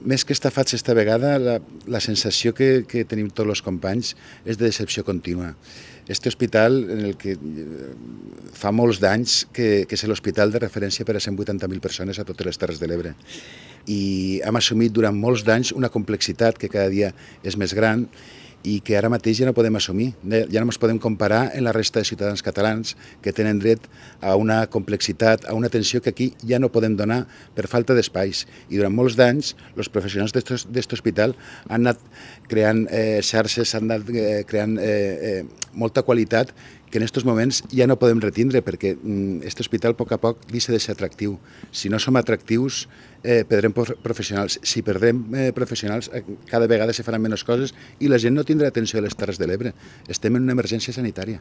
Més que estafats esta vegada, la sensació que tenim tots els companys és de decepció contínua. Este hospital, en el que fa molts d'anys que és l'hospital de referència per a 180.000 persones a totes les Terres de l'Ebre. I hem assumit durant molts d'anys una complexitat que cada dia és més gran i que ara mateix ja no podem assumir. Ja no ens podem comparar amb la resta de ciutadans catalans que tenen dret a una complexitat, a una atenció que aquí ja no podem donar per falta d'espais. I durant molts d'anys els professionals d'aquest hospital han anat creant xarxes, han anat creant molta qualitat que en aquests moments ja no podem retindre perquè aquest hospital a poc deixa de ser atractiu. Si no som atractius, perdrem professionals. Si perdrem professionals, cada vegada se faran menys coses i la gent no tindrà atenció a les Terres de l'Ebre. Estem en una emergència sanitària.